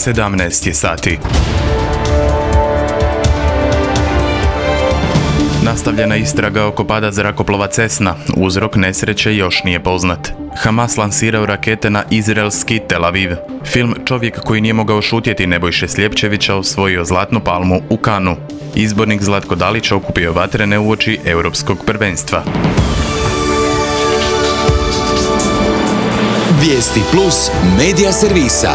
17 je sati. Nastavljena istraga oko pada zrakoplova Cessna. Uzrok nesreće još nije poznat. Hamas lansirao rakete na izraelski Tel Aviv. Film Čovjek koji nije mogao šutjeti Nebojše Sljepčevića osvojio Zlatnu palmu u Kanu. Izbornik Zlatko Dalić okupio vatrene uoči Europskog prvenstva. Vijesti plus medija servisa.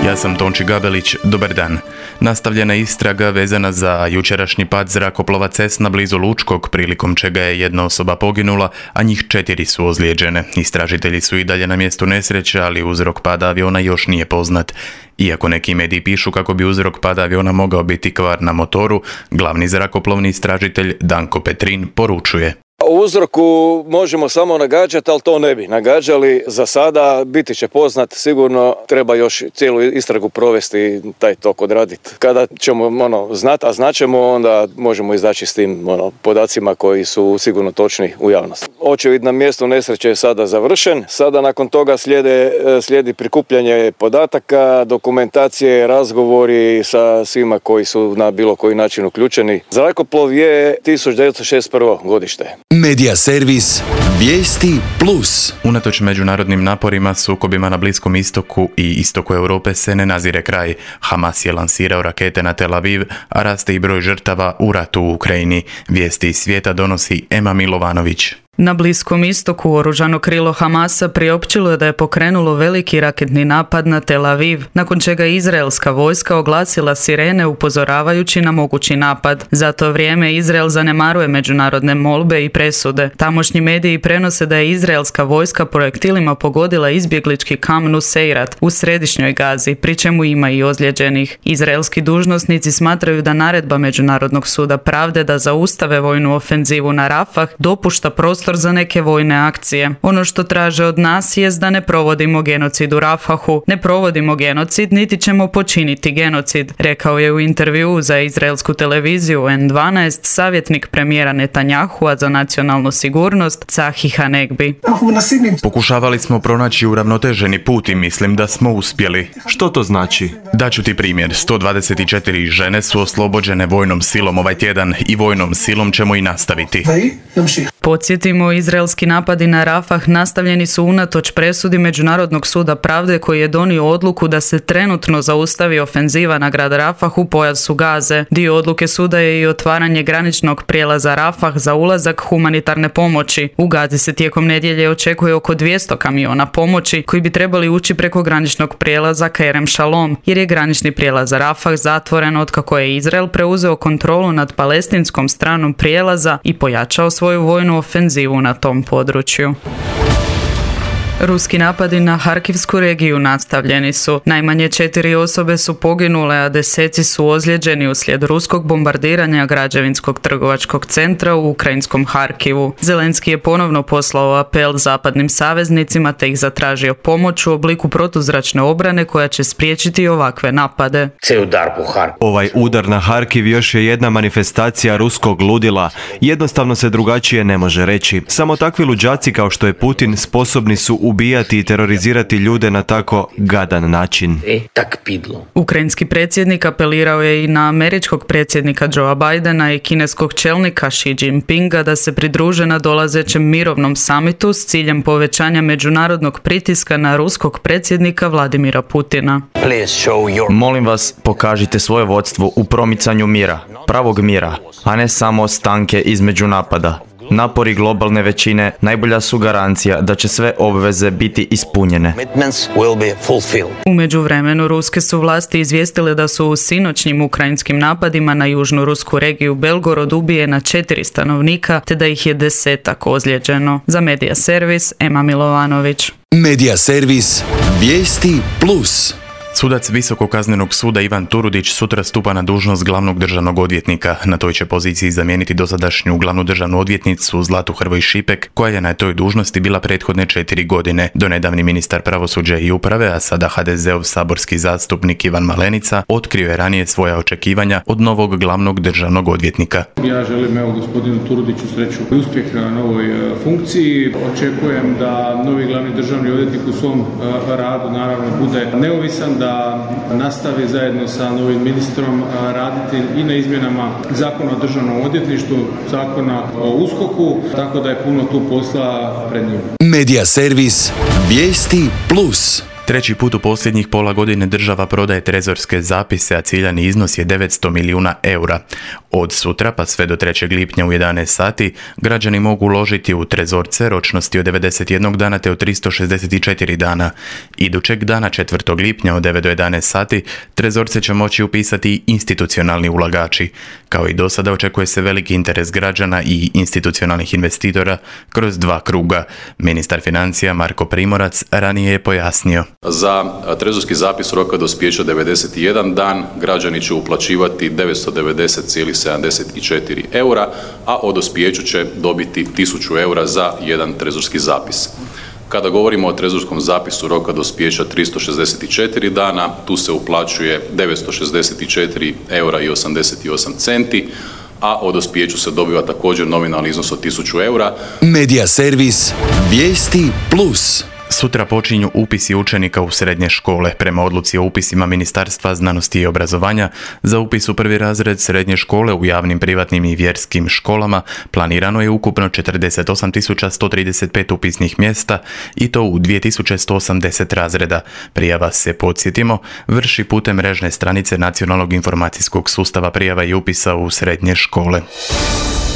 Ja sam Tonči Gabelić, dobar dan. Nastavljena istraga vezana za jučerašnji pad zrakoplova Cessna blizu Lučkog, prilikom čega je jedna osoba poginula, a njih 4 su ozlijeđene. Istražitelji su i dalje na mjestu nesreće, ali uzrok pada aviona još nije poznat. Iako neki mediji pišu kako bi uzrok pada aviona mogao biti kvar na motoru, glavni zrakoplovni istražitelj Danko Petrin poručuje: O uzroku možemo samo nagađati, ali to ne bi nagađali. Za sada biti će poznat, sigurno treba još cijelu istragu provesti, taj tok odraditi. Kada ćemo znati, a znaćemo, onda možemo izaći s tim podacima koji su sigurno točni u javnosti. Očevid na mjestu nesreće je sada završen, sada nakon toga slijedi prikupljanje podataka, dokumentacije, razgovori sa svima koji su na bilo koji način uključeni. Zrakoplov je 1961. godište. Medija servis Vijesti plus. Unatoč međunarodnim naporima, sukobima na Bliskom istoku i istoku Europe se ne nazire kraj. Hamas je lansirao rakete na Tel Aviv, a raste i broj žrtava u ratu u Ukrajini. Vijesti iz svijeta donosi Ema Milovanović. Na Bliskom istoku oružano krilo Hamasa priopćilo je da je pokrenulo veliki raketni napad na Tel Aviv, nakon čega je izraelska vojska oglasila sirene upozoravajući na mogući napad. Za to vrijeme Izrael zanemaruje međunarodne molbe i presude. Tamošnji mediji prenose da je izraelska vojska projektilima pogodila izbjeglički kamp Nuseirat u središnjoj Gazi, pri čemu ima i ozlijeđenih. Izraelski dužnosnici smatraju da naredba Međunarodnog suda pravde da zaustave vojnu ofenzivu na Rafah dopušta prostor za neke vojne akcije. Ono što traže od nas jest da ne provodimo genocid u Rafahu. Ne provodimo genocid, niti ćemo počiniti genocid, rekao je u intervjuu za izraelsku televiziju N12 savjetnik premijera Netanjahua za nacionalnu sigurnost Tzahi Hanegbi. Pokušavali smo pronaći uravnoteženi put i mislim da smo uspjeli. Što to znači? Daću ti primjer. 124 žene su oslobođene vojnom silom ovaj tjedan i vojnom silom ćemo i nastaviti. Podsjetimo, izraelski napadi na Rafah nastavljeni su unatoč presudi Međunarodnog suda pravde koji je donio odluku da se trenutno zaustavi ofenziva na grad Rafah u pojasu Gaze. Dio odluke suda je i otvaranje graničnog prijelaza Rafah za ulazak humanitarne pomoći. U Gazi se tijekom nedjelje očekuje oko 200 kamiona pomoći koji bi trebali ući preko graničnog prijelaza Kerem Shalom, jer je granični prijelaz Rafah zatvoren otkako je Izrael preuzeo kontrolu nad palestinskom stranom prijelaza i pojačao svoju vojnu ofenzivu na tom području. Ruski napadi na Harkivsku regiju nastavljeni su. Najmanje 4 osobe su poginule, a deseci su ozlijeđeni uslijed ruskog bombardiranja građevinskog trgovačkog centra u ukrajinskom Harkivu. Zelenski je ponovno poslao apel zapadnim saveznicima te ih zatražio pomoć u obliku protuzračne obrane koja će spriječiti ovakve napade. Ovaj udar na Harkiv još je jedna manifestacija ruskog ludila. Jednostavno se drugačije ne može reći. Samo takvi luđaci kao što je Putin sposobni su ubijati i terorizirati ljude na tako gadan način. Ukrajinski predsjednik apelirao je i na američkog predsjednika Joea Bidena i kineskog čelnika Xi Jinpinga da se pridruže na dolazećem mirovnom samitu s ciljem povećanja međunarodnog pritiska na ruskog predsjednika Vladimira Putina. Molim vas, pokažite svoje vodstvo u promicanju mira, pravog mira, a ne samo stanke između napada. Napori globalne većine najbolja su garancija da će sve obveze biti ispunjene. U međuvremenu ruske su vlasti izvijestile da su u sinoćnjim ukrajinskim napadima na južnu rusku regiju Belgorod ubijena 4 stanovnika, te da ih je 10 ozlijeđeno. Za Medija servis Ema Milovanović. Medija servis Vijesti plus. Sudac Visokog kaznenog suda Ivan Turudić sutra stupa na dužnost glavnog državnog odvjetnika. Na toj će poziciji zamijeniti dosadašnju glavnu državnu odvjetnicu Zlatu Hrvoj Šipek, koja je na toj dužnosti bila prethodne 4 godine. Donedavni ministar pravosuđa i uprave, a sada HDZ-ov saborski zastupnik Ivan Malenica, otkrio je ranije svoja očekivanja od novog glavnog državnog odvjetnika. Ja želim gospodinu Turudiću sreću i uspjeh na novoj funkciji. Očekujem da novi glavni državni odvjetnik u svom radu naravno bude neovisan, da da nastavi zajedno sa novim ministrom raditi i na izmjenama Zakona o državnom odvjetništvu, Zakona o USKOK-u, tako da je puno tu posla pred njim. Medija servis Vijesti Plus. Treći put u posljednjih pola godine država prodaje trezorske zapise, a ciljani iznos je 900 milijuna eura. Od sutra pa sve do 3. lipnja u 11 sati građani mogu uložiti u trezorce ročnosti od 91 dana te od 364 dana. Idućeg dana 4. lipnja od 9 do 11 sati trezorce će moći upisati i institucionalni ulagači. Kao i do sada očekuje se veliki interes građana i institucionalnih investitora kroz 2 kruga. Ministar financija Marko Primorac ranije je pojasnio. Za trezorski zapis roka dospijeća 91 dan građani će uplaćivati 990,74 eura, a o dospijeću će dobiti 1000 eura za jedan trezorski zapis. Kada govorimo o trezorskom zapisu roka dospijeća 364 dana, tu se uplaćuje 964 eura i 88 centi, a o dospijeću se dobiva također nominalni iznos od 1000 eura. Medija servis Vijesti Plus. Sutra počinju upisi učenika u srednje škole. Prema odluci o upisima Ministarstva znanosti i obrazovanja, za upis u 1. razred srednje škole u javnim, privatnim i vjerskim školama planirano je ukupno 48.135 upisnih mjesta i to u 2180 razreda. Prijava se, podsjetimo, vrši putem mrežne stranice Nacionalnog informacijskog sustava prijava i upisa u srednje škole.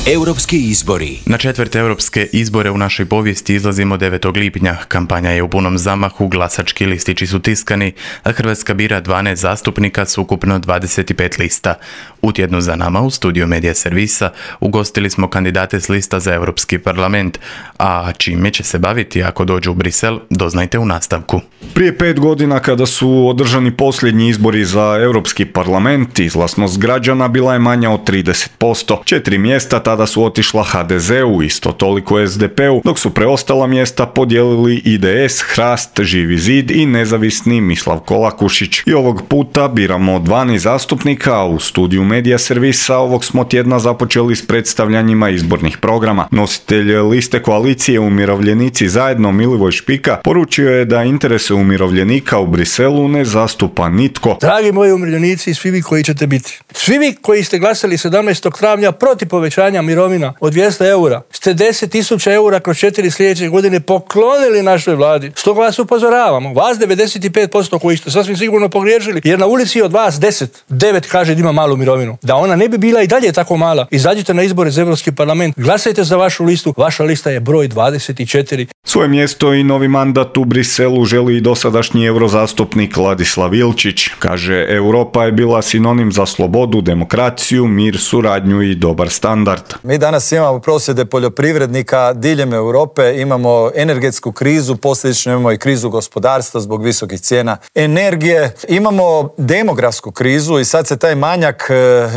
Europski izbori. Na 4. europske izbore u našoj povijesti izlazimo 9. lipnja. Kampanja je u punom zamahu, glasački listići su tiskani, a Hrvatska bira 12 zastupnika s ukupno 25 lista. U tjednu za nama u studiju Medija servisa ugostili smo kandidate s lista za Europski parlament, a čime će se baviti ako dođu u Brisel, doznajte u nastavku. Prije 5 godina kada su održani posljednji izbori za Europski parlament, izlaznost građana bila je manja od 30%. 4 mjesta tada su otišla HDZ-u, isto toliko SDP-u, dok su preostala mjesta podijelili IDS, Hrast, Živi zid i nezavisni Mislav Kolakušić. I ovog puta biramo 12 zastupnika, a u studiju Medija servisa ovog smo tjedna započeli s predstavljanjima izbornih programa. Nositelj liste koalicije Umirovljenici zajedno Milivoj Špika poručio je da interese umirovljenika u Briselu ne zastupa nitko. Dragi moji umirovljenici i svi vi koji ćete biti, svi vi koji ste glasali 17. travnja protiv povećanja mirovina od 200 eura, ste 10.000 eura kroz 4 sljedeće godine poklonili našoj vladi. Stoga vas upozoravamo, vas 95% koji ste sasvim sigurno pogriješili, jer na ulici od vas 9 kaže da ima malu mirovinu. Da ona ne bi bila i dalje tako mala, izađite na izbore za Europski parlament, glasajte za vašu listu, vaša lista je broj 24. Svoje mjesto i novi mandat u Briselu želi i dosadašnji eurozastupnik Ladislav Ilčić. Kaže, Europa je bila sinonim za slobodu, demokraciju, mir, suradnju i dobar standard. Mi danas imamo prosvjede poljoprivrednika diljem Europe, imamo energetsku krizu, posljedično imamo i krizu gospodarstva zbog visokih cijena energije, imamo demografsku krizu i sad se taj manjak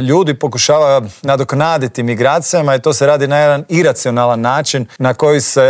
ljudi pokušava nadoknaditi migracijama i to se radi na jedan iracionalan način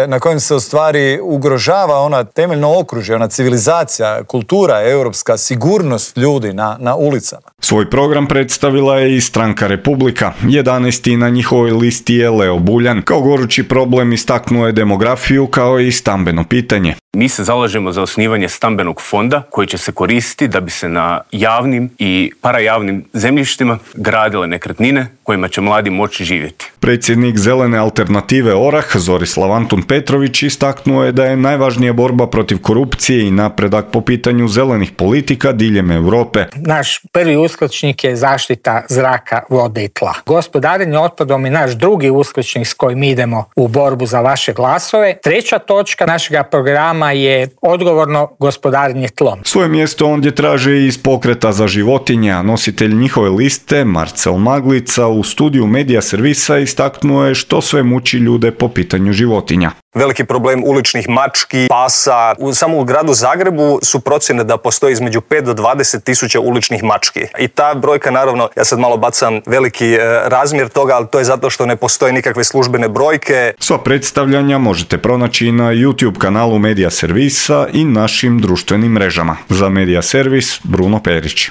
na kojem se u stvari ugrožava ona temeljno okružje, ona civilizacija, kultura, europska sigurnost ljudi na ulicama. Svoj program predstavila je i stranka Republika. 11. na njihovoj listi je Leo Buljan. Kao gorući problem istaknuo je demografiju kao i stambeno pitanje. Mi se zalažemo za osnivanje stambenog fonda koji će se koristiti da bi se na javnim i parajavnim zemljištima gradile nekretnine kojima će mladi moći živjeti. Predsjednik Zelene alternative Orah, Zorislav Antun Petrović, istaknuo je da je najvažnija borba protiv korupcije i napredak po pitanju zelenih politika diljem Europe. Naš prvi uskličnik je zaštita zraka, vode i tla. Gospodarenje otpadom je naš drugi uskličnik s kojim idemo u borbu za vaše glasove. Treća točka našega programa je odgovorno gospodarenje tlom. Svoje mjesto ondje traže iz Pokreta za životinje, a nositelj njihove liste, Marcel Maglica, u studiju Medija servisa istaknuo je što sve muči ljude po pitanju životinja. Veliki problem uličnih mački, pasa. Samo u gradu Zagrebu su procjene da postoji između 5 do 20 tisuća uličnih mački. I ta brojka, naravno, ja sad malo bacam veliki razmjer toga, ali to je zato što ne postoje nikakve službene brojke. Sva predstavljanja možete pronaći na YouTube kanalu Medija servisa i našim društvenim mrežama. Za Medija servis, Bruno Perić.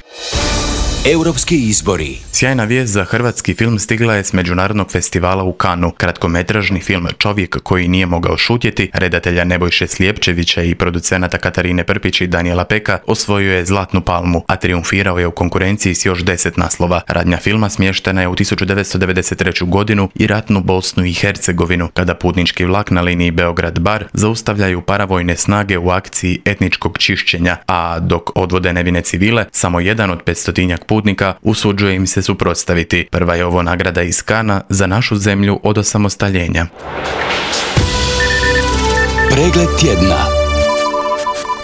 Europski izbori. Sjajna vijest za hrvatski film stigla je s Međunarodnog festivala u Cannesu. Kratkometražni film Čovjek koji nije mogao šutjeti, redatelja Nebojše Slijepčevića i producenata Katarine Prpić i Daniela Peka, osvojio je Zlatnu palmu, a triumfirao je u konkurenciji s još 10 naslova. Radnja filma smještena je u 1993. godinu i ratnu Bosnu i Hercegovinu, kada putnički vlak na liniji Beograd-Bar zaustavljaju paravojne snage u akciji etničkog čišćenja, a dok odvode nevine civile, samo jedan od 500 putnika usuđuje im se suprotstaviti. Prva je ovo nagrada iz Canesa za našu zemlju od osamostaljenja. Pregled tjedna.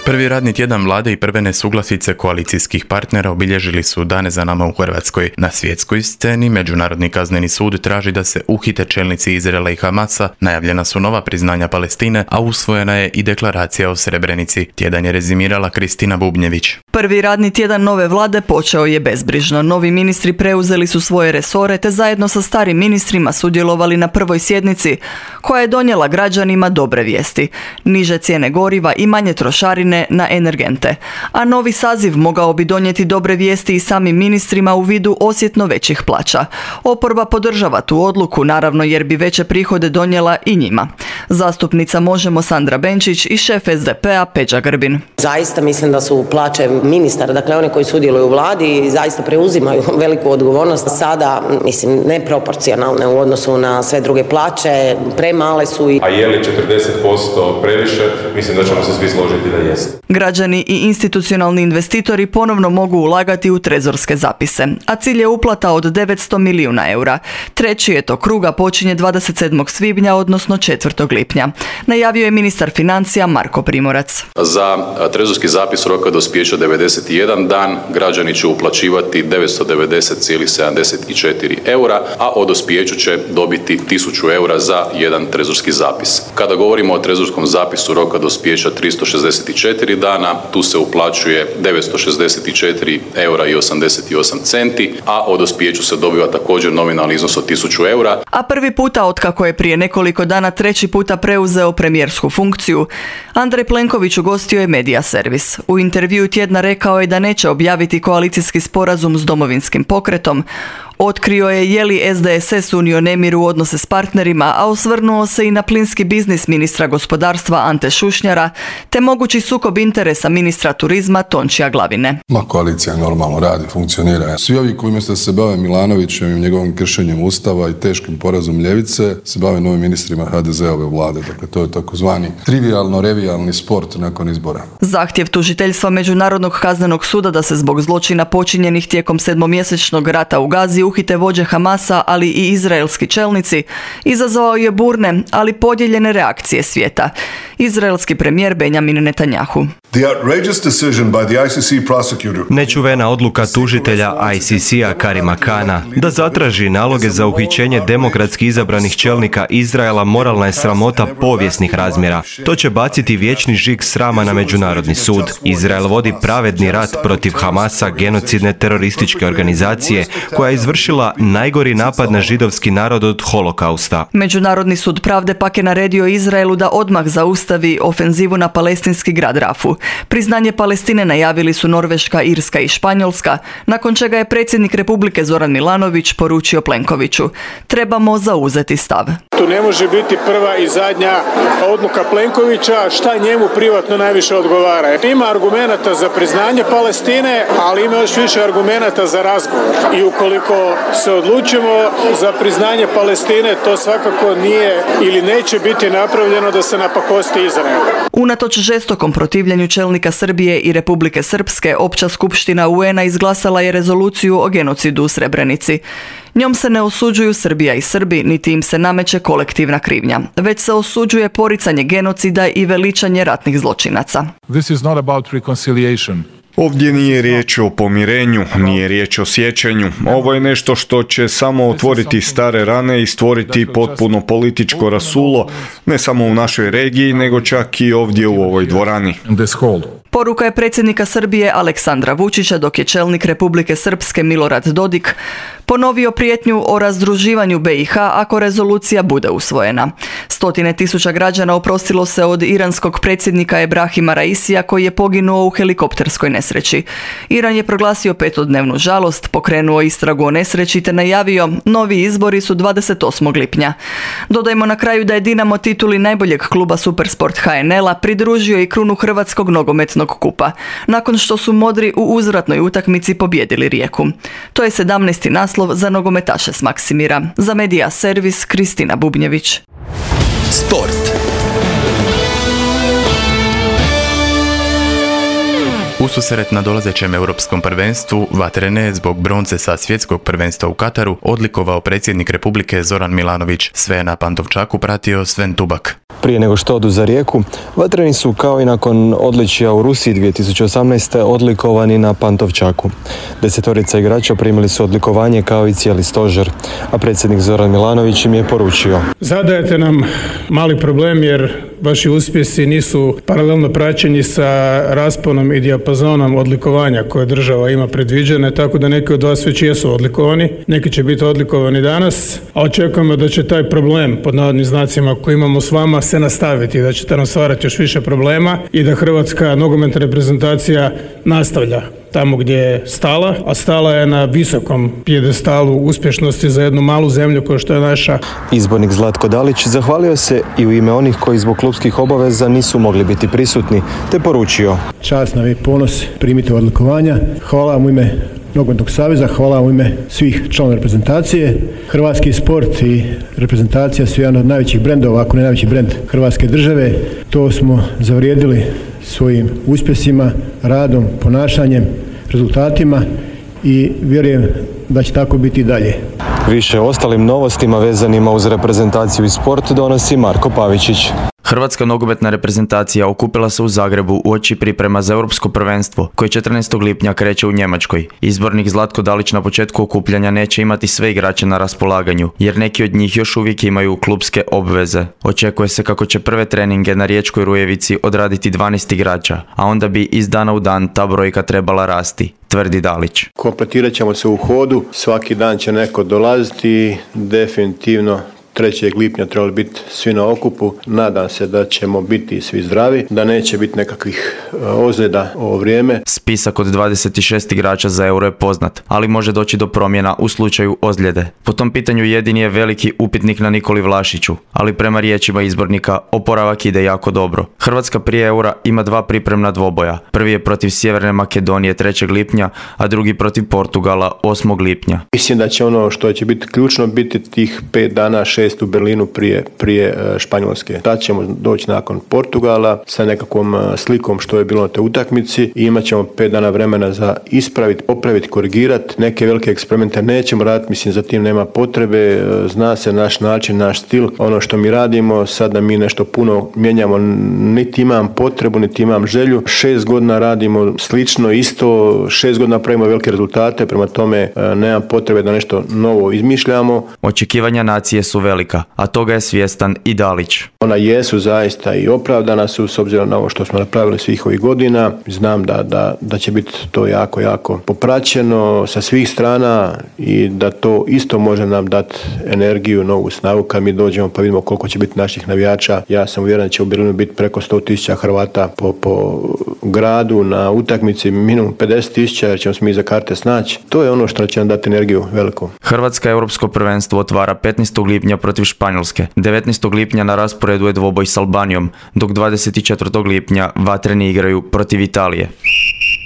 Prvi radni tjedan vlade i prve nesuglasice koalicijskih partnera obilježili su dane za nama u Hrvatskoj. Na svjetskoj sceni Međunarodni kazneni sud traži da se uhite čelnici Izraela i Hamasa, najavljena su nova priznanja Palestine, a usvojena je i deklaracija o Srebrenici. Tjedan je rezimirala Kristina Bubnjević. Prvi radni tjedan nove vlade počeo je bezbrižno. Novi ministri preuzeli su svoje resore te zajedno sa starim ministrima sudjelovali na prvoj sjednici koja je donijela građanima dobre vijesti. Niže cijene goriva i manje trošarine na energente. A novi saziv mogao bi donijeti dobre vijesti i samim ministrima u vidu osjetno većih plaća. Oporba podržava tu odluku, naravno jer bi veće prihode donijela i njima. Zastupnica Možemo Sandra Benčić i šef SDP-a Peđa Grbin. Zaista mislim da su plaće ministara, dakle oni koji sudjeluju u vladi, zaista preuzimaju veliku odgovornost. Sada, mislim, neproporcionalne u odnosu na sve druge plaće, premale su. A je li 40% previše? Mislim da ćemo se svi složiti da jest. Građani i institucionalni investitori ponovno mogu ulagati u trezorske zapise, a cilj je uplata od 900 milijuna eura. Treći je to krug, a počinje 27. svibnja, odnosno 4. lipnja. Najavio je ministar financija Marko Primorac. Za trezorski zapis roka dospijeća 91 dan građani će uplaćivati 990,74 eura, a o dospijeću će dobiti 1000 eura za jedan trezorski zapis. Kada govorimo o trezorskom zapisu roka dospijeća 364 dana, tu se uplaćuje 964 eura i 88 centi, a o dospijeću se dobiva također nominalni iznos od 1000 eura. A prvi puta otkako je prije nekoliko dana treći puta preuzeo premijersku funkciju, Andrej Plenković ugostio je Media Servis. U intervjuu tjedna rekao je da neće objaviti koalicijski sporazum s Domovinskim pokretom. Otkrio je li SDSS unio nemir u odnose s partnerima, a osvrnuo se i na plinski biznis ministra gospodarstva Ante Šušnjara, te mogući sukob interesa ministra turizma Tončija Glavine. Koalicija normalno radi, funkcionira. Svi ovi koji umjesto se bave Milanovićem i njegovim kršenjem Ustava i teškim porazom ljevice, se bave novim ministrima HDZ-ove vlade. Dakle, to je takozvani trivijalno-revijalni sport nakon izbora. Zahtjev tužiteljstva Međunarodnog kaznenog suda da se zbog zločina počinjenih tijekom 7-mjesečnog rata u Gazi uhite vođe Hamasa, ali i izraelski čelnici, izazvao je burne, ali podijeljene reakcije svijeta. Izraelski premijer Benjamin Netanjahu. Nečuvena odluka tužitelja ICC-a Karima Kana da zatraži naloge za uhićenje demokratski izabranih čelnika Izraela moralna je sramota povijesnih razmjera. To će baciti vječni žig srama na Međunarodni sud. Izrael vodi pravedni rat protiv Hamasa, genocidne terorističke organizacije koja je izvršila najgori napad na židovski narod od holokausta. Međunarodni sud pravde pak je naredio Izraelu da odmah zaustavi ofenzivu na palestinski grad Rafu. Priznanje Palestine najavili su Norveška, Irska i Španjolska, nakon čega je predsjednik Republike Zoran Milanović poručio Plenkoviću: trebamo zauzeti stav. Tu ne može biti prva i zadnja odluka Plenkovića, šta njemu privatno najviše odgovara. Ima argumenata za priznanje Palestine, ali ima još više argumenata za razgovor. I ukoliko se odlučimo za priznanje Palestine, to svakako nije ili neće biti napravljeno da se napakosti Izrael. Unatoč žestokom protivljenju čelnika Srbije i Republike Srpske, Opća skupština UN-a izglasala je rezoluciju o genocidu u Srebrenici. Njom se ne osuđuju Srbija i Srbi, niti im se nameće kolektivna krivnja, već se osuđuje poricanje genocida i veličanje ratnih zločinaca. This is not about reconciliation. Ovdje nije riječ o pomirenju, nije riječ o sjećanju. Ovo je nešto što će samo otvoriti stare rane i stvoriti potpuno političko rasulo, ne samo u našoj regiji, nego čak i ovdje u ovoj dvorani. Poruka je predsjednika Srbije Aleksandra Vučića, dok je čelnik Republike Srpske Milorad Dodik Ponovio prijetnju o razdruživanju BiH ako rezolucija bude usvojena. 100.000 građana oprostilo se od iranskog predsjednika Ebrahima Raisija koji je poginuo u helikopterskoj nesreći. Iran je proglasio 5-dnevnu žalost, pokrenuo istragu o nesreći te najavio novi izbori su 28. lipnja. Dodajmo na kraju da je Dinamo tituli najboljeg kluba Supersport HNL-a pridružio i krunu Hrvatskog nogometnog kupa, nakon što su modri u uzvratnoj utakmici pobijedili Rijeku. To je 17. naslov za nogometaše s Maksimira. Za Medija Servis Kristina Bubnjević. Sport. Ususret na dolazećem europskom prvenstvu Vatrene je zbog bronce sa svjetskog prvenstva u Kataru odlikovao predsjednik Republike Zoran Milanović. Sve na Pantovčaku pratio Sven Tubak. Prije nego što odu za Rijeku, Vatreni su kao i nakon odličija u Rusiji 2018. odlikovani na Pantovčaku. 10 igrača primili su odlikovanje kao i cijeli stožer, a predsjednik Zoran Milanović im je poručio: Zadajete nam mali problem jer vaši uspjesi nisu paralelno praćeni sa rasponom i dijapazonom odlikovanja koje država ima predviđene, tako da neki od vas već jesu odlikovani, neki će biti odlikovani danas, a očekujemo da će taj problem, pod navodnim znacima, koji imamo s vama, se nastaviti, da ćete nam stvarati još više problema i da hrvatska nogometna reprezentacija nastavlja tamo gdje je stala, a stala je na visokom pijedestalu uspješnosti za jednu malu zemlju kao što je naša. Izbornik Zlatko Dalić zahvalio se i u ime onih koji zbog klupskih obaveza nisu mogli biti prisutni, te poručio: Čast nam je ponos primiti odlikovanja. Hvala vam u ime Nogometnog saveza, hvala vam u ime svih članova reprezentacije. Hrvatski sport i reprezentacija su jedan od najvećih brendova, ako ne najveći brend Hrvatske države. To smo zavrijedili svojim uspjesima, radom, ponašanjem, rezultatima i vjerujem da će tako biti i dalje. Više o ostalim novostima vezanima uz reprezentaciju i sport donosi Marko Pavičić. Hrvatska nogometna reprezentacija okupila se u Zagrebu uoči priprema za europsko prvenstvo, koje 14. lipnja kreće u Njemačkoj. Izbornik Zlatko Dalić na početku okupljanja neće imati sve igrače na raspolaganju, jer neki od njih još uvijek imaju klupske obveze. Očekuje se kako će prve treninge na Riječkoj Rujevici odraditi 12 igrača, a onda bi iz dana u dan ta brojka trebala rasti, tvrdi Dalić. Kompletirat ćemo se u hodu, svaki dan će neko dolaziti i definitivno 3. lipnja trebali biti svi na okupu. Nadam se da ćemo biti svi zdravi, da neće biti nekakvih ozljeda ovo vrijeme. Spisak od 26 igrača za Euro je poznat, ali može doći do promjena u slučaju ozljede. Po tom pitanju jedini je veliki upitnik na Nikoli Vlašiću, ali prema riječima izbornika oporavak ide jako dobro. Hrvatska prije Eura ima 2 pripremna dvoboja. Prvi je protiv Sjeverne Makedonije 3. lipnja, a drugi protiv Portugala 8. lipnja. Mislim da će ono što će biti ključno biti tih 5 dana, 6 u Berlinu prije Španjolske. Tad ćemo doći nakon Portugala sa nekakvom slikom što je bilo na toj utakmici i imat ćemo 5 dana vremena za ispraviti, popraviti, korigirati. Neke velike eksperimente nećemo raditi, mislim za tim nema potrebe, zna se naš način, naš stil, ono što mi radimo, sad da mi nešto puno mijenjamo, niti imam potrebu, niti imam želju. 6 godina radimo slično, isto, 6 godina pravimo velike rezultate, prema tome nemam potrebe da nešto novo izmišljamo. Očekivanja nacije su velika, a toga je svjestan i Dalić. Ona jesu zaista i opravdana su s obzirom na ovo što smo napravili svih ovih godina. Znam da će biti to jako, jako popraćeno sa svih strana i da to isto može nam dati energiju, novu snagu kad mi dođemo pa vidimo koliko će biti naših navijača. Ja sam uvjeren da će u Berlinu biti preko 100.000 Hrvata po gradu na utakmici, minimum 50.000 jer ćemo se mi za karte snaći. To je ono što će nam dati energiju veliku. Hrvatska europsko prvenstvo otvara 15. lipnja protiv Španjolske. 19. lipnja na rasporedu je dvoboj s Albanijom, dok 24. lipnja Vatreni igraju protiv Italije.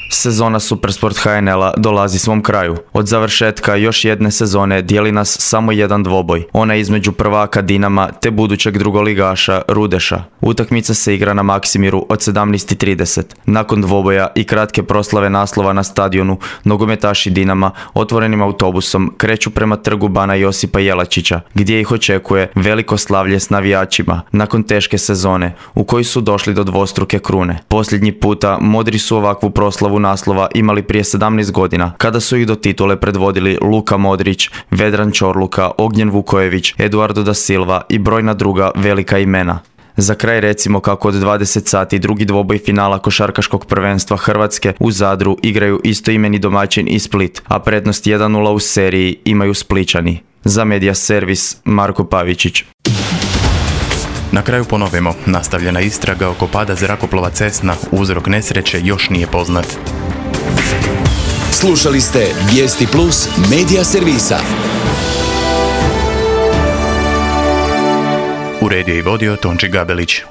Sezona Supersport HNL-a dolazi svom kraju. Od završetka još jedne sezone dijeli nas samo jedan dvoboj. Ona je između prvaka Dinama te budućeg drugoligaša Rudeša. Utakmica se igra na Maksimiru od 17:30. Nakon dvoboja i kratke proslave naslova na stadionu, nogometaši Dinama otvorenim autobusom kreću prema trgu Bana Josipa Jelačića, gdje ih očekuje veliko slavlje s navijačima nakon teške sezone u kojoj su došli do dvostruke krune. Posljednji puta modri su ovakvu proslavu naslova imali prije 17 godina, kada su ih do titule predvodili Luka Modrić, Vedran Čorluka, Ognjen Vukojević, Eduardo da Silva i brojna druga velika imena. Za kraj recimo kako od 20 sati drugi dvoboj finala košarkaškog prvenstva Hrvatske u Zadru igraju istoimeni domaćin i Split, a prednost 1:0 u seriji imaju Splićani. Za Media Servis Marko Pavičić. Na kraju ponovimo, nastavljena istraga oko pada zrakoplova Cessna, uzrok nesreće još nije poznat. Slušali ste Vijesti Plus Media Servisa. Uredio i vodio Tonči Gabelić.